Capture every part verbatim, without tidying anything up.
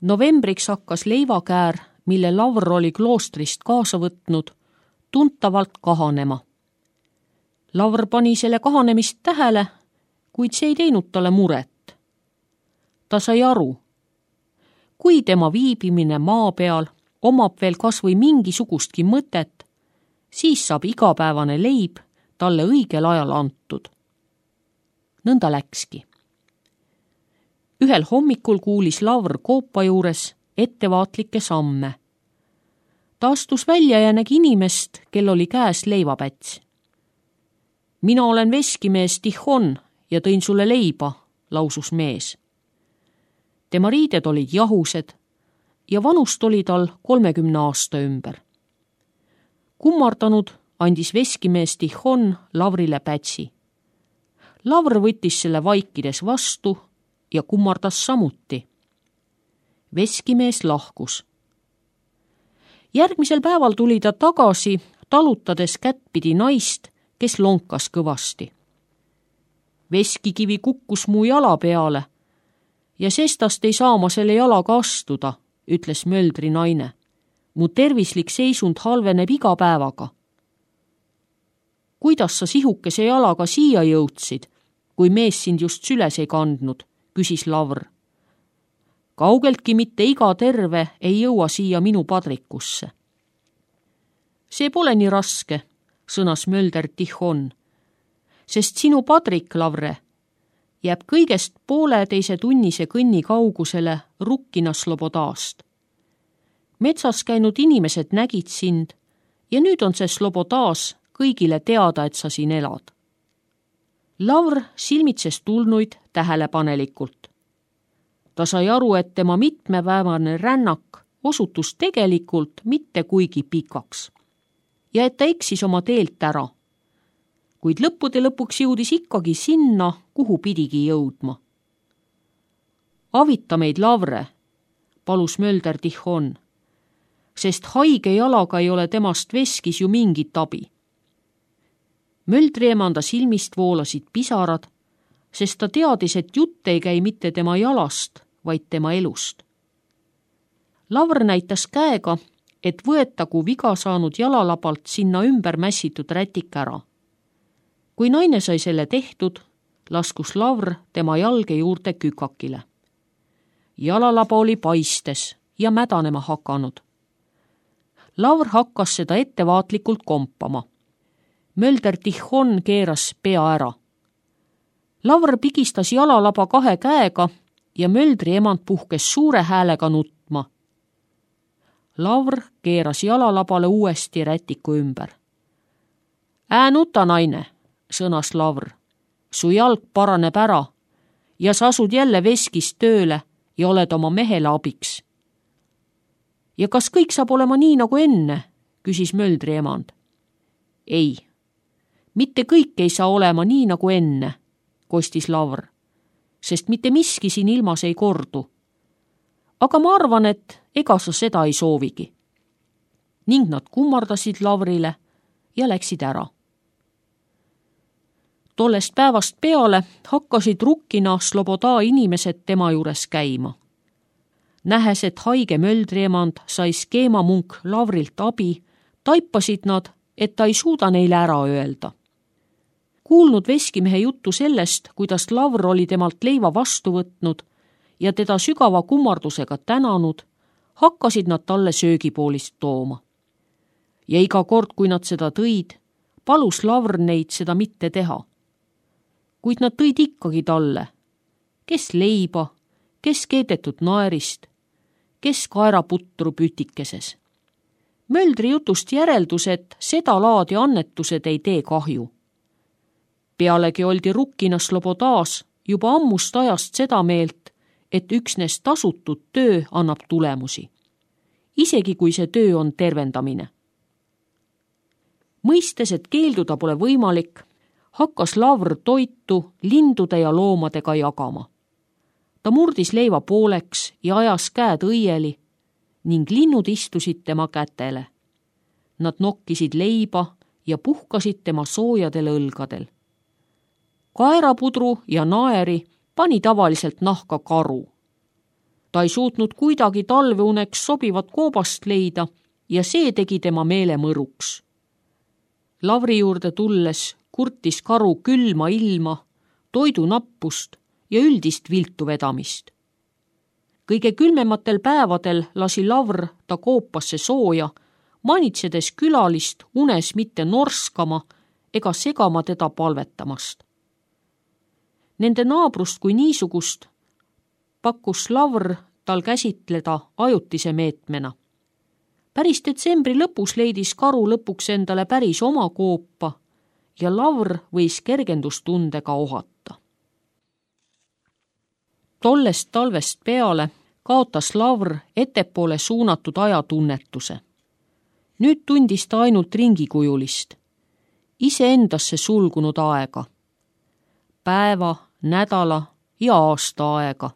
Novembriks hakkas leivakäär, mille Lavr oli kloostrist kaasa võtnud, tuntavalt kahanema. Lavr pani selle kahanemist tähele, kuid see ei teinud talle muret. Ta sai aru, kui tema viibimine maa peal omab veel kas või mingisugustki mõtet, siis saab igapäevane leib talle õigel ajal antud. Nõnda läkski. Ühel hommikul kuulis Lavr koopa juures ettevaatlikke samme. Ta astus välja ja nägi inimest, kel oli käes leivapäts. Mina olen veskimees Tihon ja tõin sulle leiba, lausus mees. Tema riided olid jahused ja vanust oli tal kolmekümne aasta ümber. Kummardanud andis veskimees Tihon Lavrile pätsi. Lavr võttis selle vaikides vastu ja kummardas samuti. Veskimees lahkus. Järgmisel päeval tuli ta tagasi, talutades kättpidi naist, kes lonkas kõvasti. Veskikivi kukkus mu jala peale ja sestast ei saa ma selle jalaga astuda, ütles möldri naine. Mu tervislik seisund halveneb iga päevaga. Kuidas sa sihukese jalaga siia jõudsid, kui mees sind just süles ei kandnud, küsis Lavr. Kaugeltki mitte iga terve ei jõua siia minu padrikusse. See pole nii raske, sõnas mölder Tihon, sest sinu padrik, Lavre, jääb kõigest pooleteise tunnise kõnni kaugusele Rukkina Slobodast. Metsas käinud inimesed nägid sind ja nüüd on see Slobodas kõigile teada, et sa siin elad. Lavr silmitses tulnuid tähelepanelikult. Ta sai aru, et tema mitmepäevane rännak osutus tegelikult mitte kuigi pikaks ja et ta eksis oma teelt ära. Kuid lõppude lõpuks jõudis ikkagi sinna, kuhu pidigi jõudma. Avita meid, Lavre, palus mölder Tihon, sest haige jalaga ei ole temast veskis ju mingit abi. Möldri emanda silmist voolasid pisarad, sest ta teadis, et jutt ei käi mitte tema jalast, vaid tema elust. Lavr näitas käega, et võetagu viga saanud jalalabalt sinna ümber mässitud rätik ära. Kui naine sai selle tehtud, laskus Lavr tema jalge juurde kükakile. Jalalaba oli paistes ja mädanema hakanud. Lavr hakkas seda ettevaatlikult kompama. Mölder Tihon keeras pea ära. Lavr pigistas jalalaba kahe käega ja möldri emand puhkes suure häälega nutma. Lavr keeras jalalabale uuesti rätiku ümber. Ää nuta, naine, sõnas Lavr. Su jalg paraneb ära ja sa asud jälle veskis tööle ja oled oma mehele abiks. Ja kas kõik saab olema nii nagu enne, küsis möldri emand. Ei, mitte kõik ei saa olema nii nagu enne, kostis Lavr, sest mitte miski siin ilmas ei kordu. Aga ma arvan, et ega sa seda ei soovigi. Ning nad kummardasid Lavrile ja läksid ära. Tollest päevast peale hakkasid Rukkina Sloboda inimesed tema juures käima. Nähes, et haige möldriemand sai skeemamunk Lavrilt abi, taipasid nad, et ta ei suuda neile ära öelda. Kuulnud veskimehe juttu sellest, kuidas Lavr oli temalt leiva vastu võtnud ja teda sügava kummardusega tänanud, hakkasid nad talle söögipoolist tooma. Ja iga kord, kui nad seda tõid, palus Lavr neid seda mitte teha. Kuid nad tõid ikkagi talle, kes leiba, kes keedetud naerist, kes kaeraputru pütikeses. Möldri jutust järeldus, et seda laadi annetused ei tee kahju. Pealegi oldi Rukkina Slobodas juba ammust ajast seda meelt, et üksnes tasutud töö annab tulemusi, isegi kui see töö on tervendamine. Mõistes, et keelduda pole võimalik, hakkas Lavr toitu lindude ja loomadega jagama. Ta murdis leiva pooleks ja ajas käed õieli ning linnud istusid tema kätele. Nad nokkisid leiba ja puhkasid tema soojadel õlgadel. Kaerapudru ja naeri pani tavaliselt nahka karu. Ta ei suutnud kuidagi talveuneks sobivat koobast leida ja see tegi tema meele mõruks. Lavri juurde tulles kurtis karu külma ilma, toidunappust ja üldist viltu vedamist. Kõige külmematel päevadel lasi Lavr ta koopasse sooja, manitsedes külalist unes mitte norskama ega segama teda palvetamast. Nende naabrust kui niisugust pakkus Lavr tal käsitleda ajutise meetmena. Päris detsembri lõpus leidis karu lõpuks endale päris oma koopa ja Lavr võis kergendustundega ohata. Tollest talvest peale kaotas Lavr ettepoole suunatud ajatunnetuse. Nüüd tundis ta ainult ringikujulist, iseendasse sulgunud aega, päeva, nädala ja aasta aega.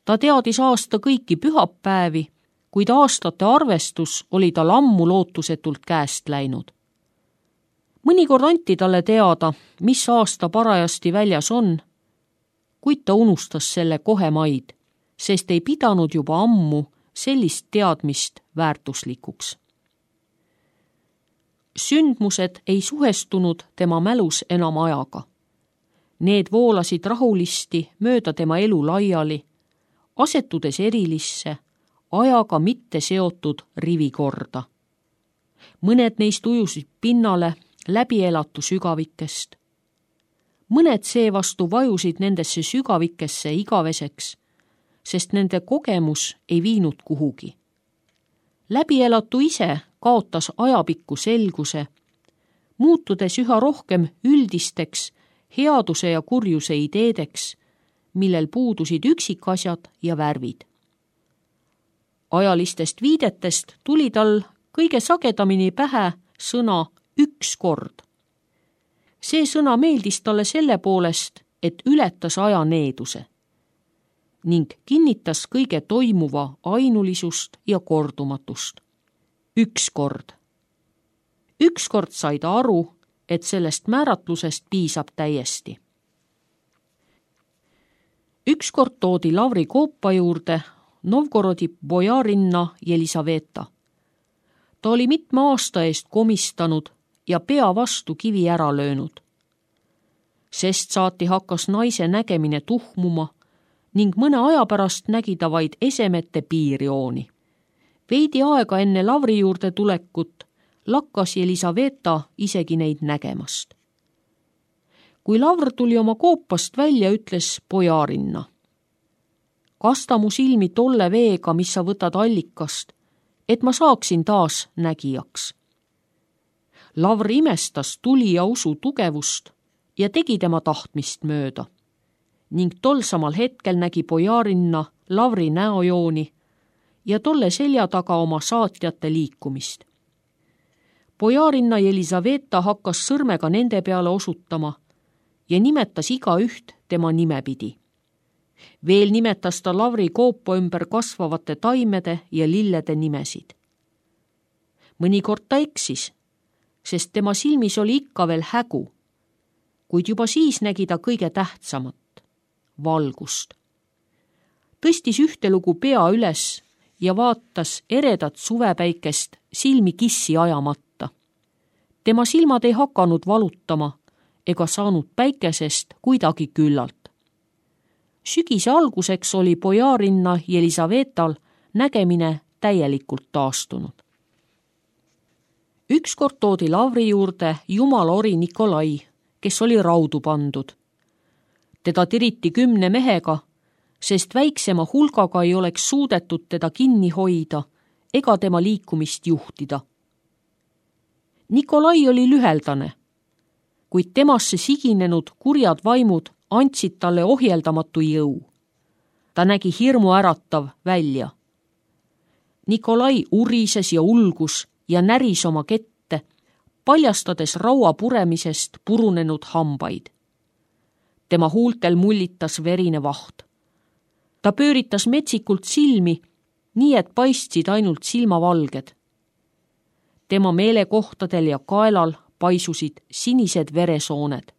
Ta teadis aasta kõiki pühapäevi, kuid aastate arvestus oli tal ammu lootusetult käest läinud. Mõnikord anti talle teada, mis aasta parajasti väljas on, kuid ta unustas selle kohe maid, sest ei pidanud juba ammu sellist teadmist väärtuslikuks. Sündmused ei suhestunud tema mälus enam ajaga. Need voolasid rahulisti mööda tema elu laiali, asetudes erilisse, ajaga mitte seotud rivikorda. Mõned neist ujusid pinnale läbielatu sügavikest. Mõned seevastu vajusid nendesse sügavikesse igaveseks, sest nende kogemus ei viinud kuhugi. Läbielatu ise kaotas ajapikku selguse, muutudes üha rohkem üldisteks headuse ja kurjuse ideedeks, millel puudusid üksikasjad ja värvid. Ajalistest viidetest tuli tal kõige sagedamini pähe sõna üks kord. See sõna meeldis talle selle poolest, et ületas aja needuse ning kinnitas kõige toimuva ainulisust ja kordumatust. Ükskord. Ükskord sai ta aru, et sellest määratlusest piisab täiesti. Ükskord toodi Lavri koopa juurde Novgorodi bojarinna Jelisaveta. Ta oli mitme aasta eest komistanud ja pea vastu kivi ära löönud. Sest saati hakkas naise nägemine tuhmuma ning mõne aja pärast nägi ta vaid esemete piirjooni. Veidi aega enne Lavri juurde tulekut lakkas Jelisaveta isegi neid nägemast. Kui Lavr tuli oma koopast välja, ütles bojarinna: kasta mu silmi tolle veega, mis sa võtad allikast, et ma saaksin taas nägijaks. Lavr imestas tuli ja usu tugevust ja tegi tema tahtmist mööda ning tol samal hetkel nägi bojarinna Lavri näojooni ja tolle selja taga oma saatjate liikumist. Bojarinna Jelisaveta hakkas sõrmega nende peale osutama ja nimetas igaüht tema nimepidi. Veel nimetas ta Lavri koopa ümber kasvavate taimede ja lillede nimesid. Mõnikord ta eksis, sest tema silmis oli ikka veel hägu, kuid juba siis nägi ta kõige tähtsamat, valgust. Tõstis ühtelugu pea üles ja vaatas eredat suvepäikest silmi kissi ajamata. Tema silmad ei hakanud valutama ega saanud päikesest kuidagi küllalt. Sügise alguseks oli bojarinna Jelisavetal nägemine täielikult taastunud. Ükskord toodi Lavri juurde jumala ori Nikolai, kes oli raudu pandud. Teda tiriti kümne mehega, sest väiksema hulgaga ei oleks suudetud teda kinni hoida ega tema liikumist juhtida. Nikolai oli lüheldane, kuid temasse siginenud kurjad vaimud andsid talle ohjeldamatu jõu. Ta nägi hirmu äratav välja. Nikolai urises ja ulgus ja näris oma kette, paljastades raua puremisest purunenud hambaid. Tema huultel mullitas verine vaht. Ta pööritas metsikult silmi, nii et paistsid ainult silmavalged. Tema meelekohtadel ja kaelal paisusid sinised veresooned.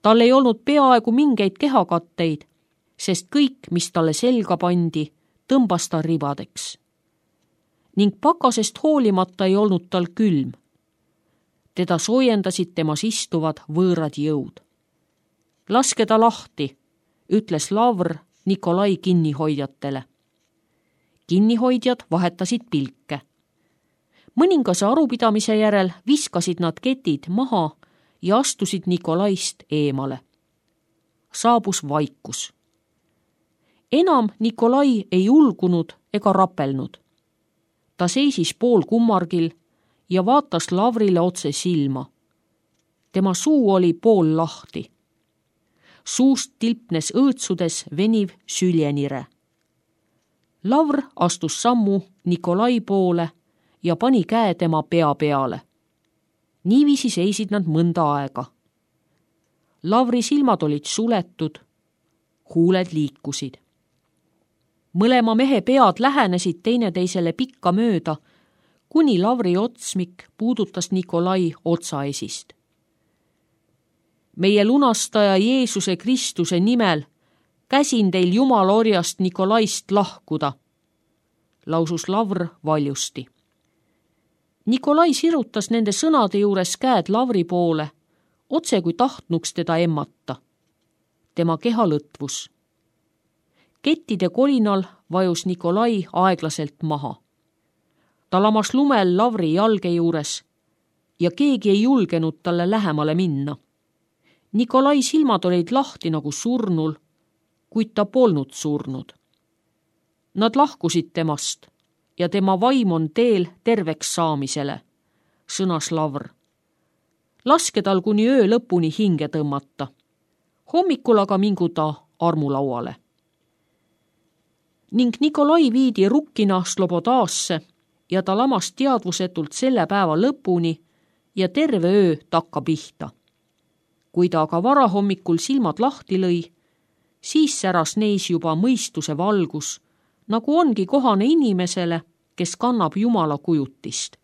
Tal ei olnud peaaegu mingeid kehakatteid sest kõik, mis talle selga pandi, tõmbas ta ribadeks. Ning pakasest hoolimata ei olnud tal külm. Teda soojendasid temas istuvad võõrad jõud. Laske ta lahti, ütles Lavr Nikolai kinnihoidjatele. Kinnihoidjad vahetasid pilke. Mõningase arupidamise järel viskasid nad ketid maha ja astusid Nikolaist eemale. Saabus vaikus. Enam Nikolai ei ulgunud ega rapelnud. Ta seisis pool kummargil ja vaatas Lavrile otse silma. Tema suu oli pool lahti. Suust tilpnes õõtsudes veniv süljenire. Lavr astus sammu Nikolai poole ja pani käe tema pea peale. Niiviisi seisid nad mõnda aega. Lavri silmad olid suletud, huuled liikusid. Mõlema mehe pead lähenesid teineteisele pikka mööda, kuni Lavri otsmik puudutas Nikolai otsaesist. Meie lunastaja Jeesuse Kristuse nimel käsin teil Jumala orjast Nikolaist lahkuda, lausus Lavr valjusti. Nikolai sirutas nende sõnade juures käed Lavri poole, otse kui tahtnuks teda emmata. Tema keha lõtvus. Kettide kolinal vajus Nikolai aeglaselt maha. Ta lamas lumel Lavri jalge juures ja keegi ei julgenud talle lähemale minna. Nikolai silmad olid lahti nagu surnul, kuid ta polnud surnud. Nad lahkusid temast ja tema vaim on teel terveks saamisele, sõnas Lavr. Laske tal kuni öö lõpuni hinge tõmmata. Hommikul aga mingu ta armulauale. Ning Nikolai viidi rukkina Slobodaasse ja ta lamas teadvusetult selle päeva lõpuni ja terve öö takka pihta. Kui ta aga varahommikul silmad lahti lõi, siis säras neis juba mõistuse valgus, nagu ongi kohane inimesele, kes kannab Jumala kujutist.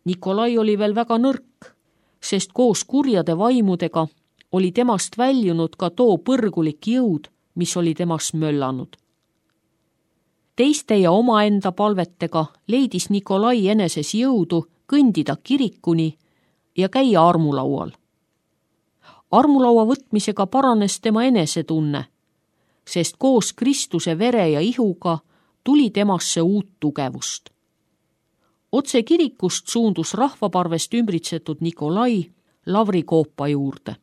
Nikolai oli veel väga nõrk, sest koos kurjade vaimudega oli temast väljunud ka too põrgulik jõud, mis oli temas möllanud. Teiste ja omaenda palvetega leidis Nikolai eneses jõudu kõndida kirikuni ja käia armulaual. Armulaua võtmisega paranes tema enesetunne, sest koos Kristuse vere ja ihuga tuli temasse uut tugevust. Otse kirikust suundus rahvaparvest ümbritsetud Nikolai Lavri koopa juurde.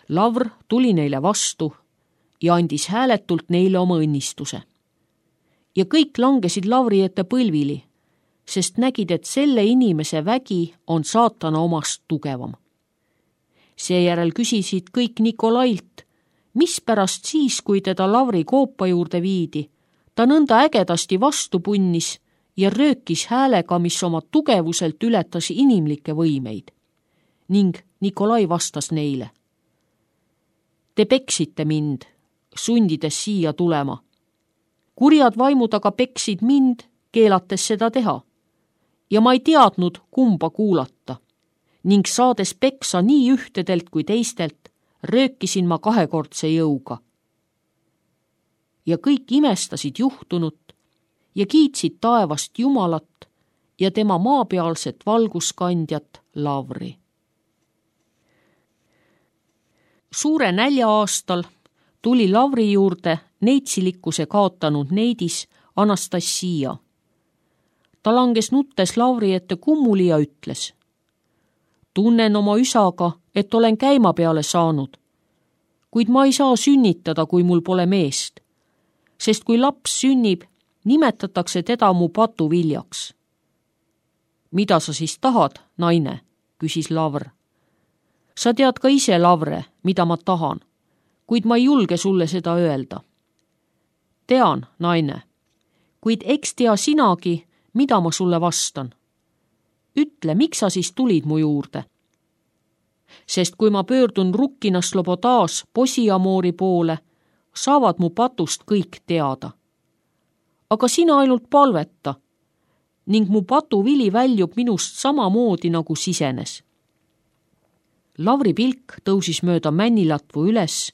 Lavr tuli neile vastu ja andis hääletult neile oma õnnistuse. Ja kõik langesid Lavri ette põlvili, sest nägid, et selle inimese vägi on saatana omast tugevam. Seejärel küsisid kõik Nikolailt, mispärast siis, kui teda Lavri koopa juurde viidi, ta nõnda ägedasti vastu punnis ja röökis häälega, mis oma tugevuselt ületas inimlikke võimeid. Ning Nikolai vastas neile. Te peksite mind, sundides siia tulema. Kurjad vaimud aga peksid mind, keelates seda teha. Ja ma ei teadnud, kumba kuulata. Ning saades peksa nii ühtedelt kui teistelt, röökisin ma kahekordse jõuga. Ja kõik imestasid juhtunut ja kiitsid taevast Jumalat ja tema maapealset valguskandjat Lavri. Suure nälja aastal tuli Lavri juurde neitsilikkuse kaotanud neidis Anastassia. Ta langes nuttes Lavri ette kummuli ja ütles. Tunnen oma üsaga, et olen käima peale saanud, kuid ma ei saa sünnitada, kui mul pole meest, sest kui laps sünnib, nimetatakse teda mu patuviljaks. Mida sa siis tahad, naine, küsis Lavr. Sa tead ka ise, Lavre, mida ma tahan, kuid ma ei julge sulle seda öelda. Tean, naine, kuid eks tea sinagi, mida ma sulle vastan. Ütle, miks sa siis tulid mu juurde? Sest kui ma pöördun rukkina Slobodaas Posiamoori poole, saavad mu patust kõik teada. Aga sina ainult palveta ning mu patuvili väljub minust samamoodi nagu sisenes. Lavri pilk tõusis mööda männilatvu üles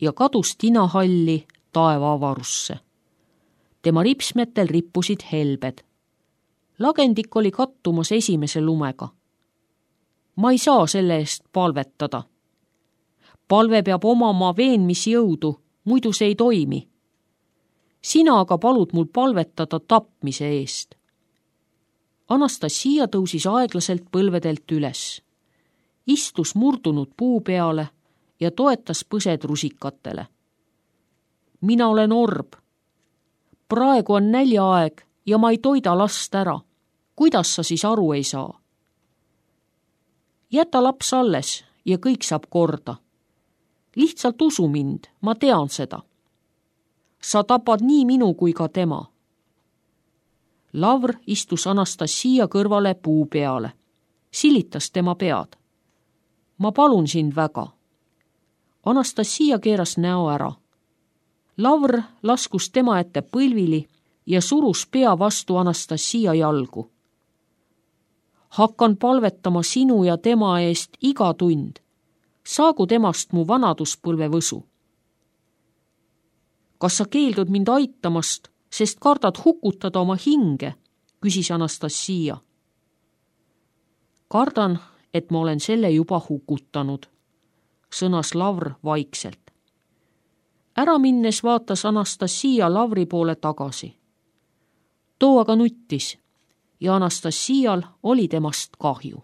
ja kadus tinahalli taeva avarusse. Tema ripsmetel rippusid helbed. Lagendik oli kattumas esimese lumega. Ma ei saa selle eest palvetada. Palve peab omama veenmisjõudu, muidu see ei toimi. Sina aga palud mul palvetada tapmise eest. Anastasia tõusis aeglaselt põlvedelt üles. Istus murdunud puu peale ja toetas põsed rusikatele. Mina olen orb. Praegu on näljaaeg ja ma ei toida last ära. Kuidas sa siis aru ei saa? Jäta laps alles ja kõik saab korda. Lihtsalt usu mind, ma tean seda. Sa tapad nii minu kui ka tema. Lavr istus Anastasia kõrvale puu peale. Silitas tema pead. Ma palun sind väga. Anastasia keeras näo ära. Lavr laskus tema ette põlvili ja surus pea vastu Anastasia jalgu. Hakkan palvetama sinu ja tema eest iga tund. Saagu temast mu vanaduspõlve võsu. Kas sa keeldud mind aitamast, sest kardad hukutada oma hinge, küsis Anastasia. Kardan, et ma olen selle juba hukutanud, sõnas Lavr vaikselt. Ära minnes vaatas Anastasia Lavri poole tagasi. Too aga nuttis ja Anastasial oli temast kahju.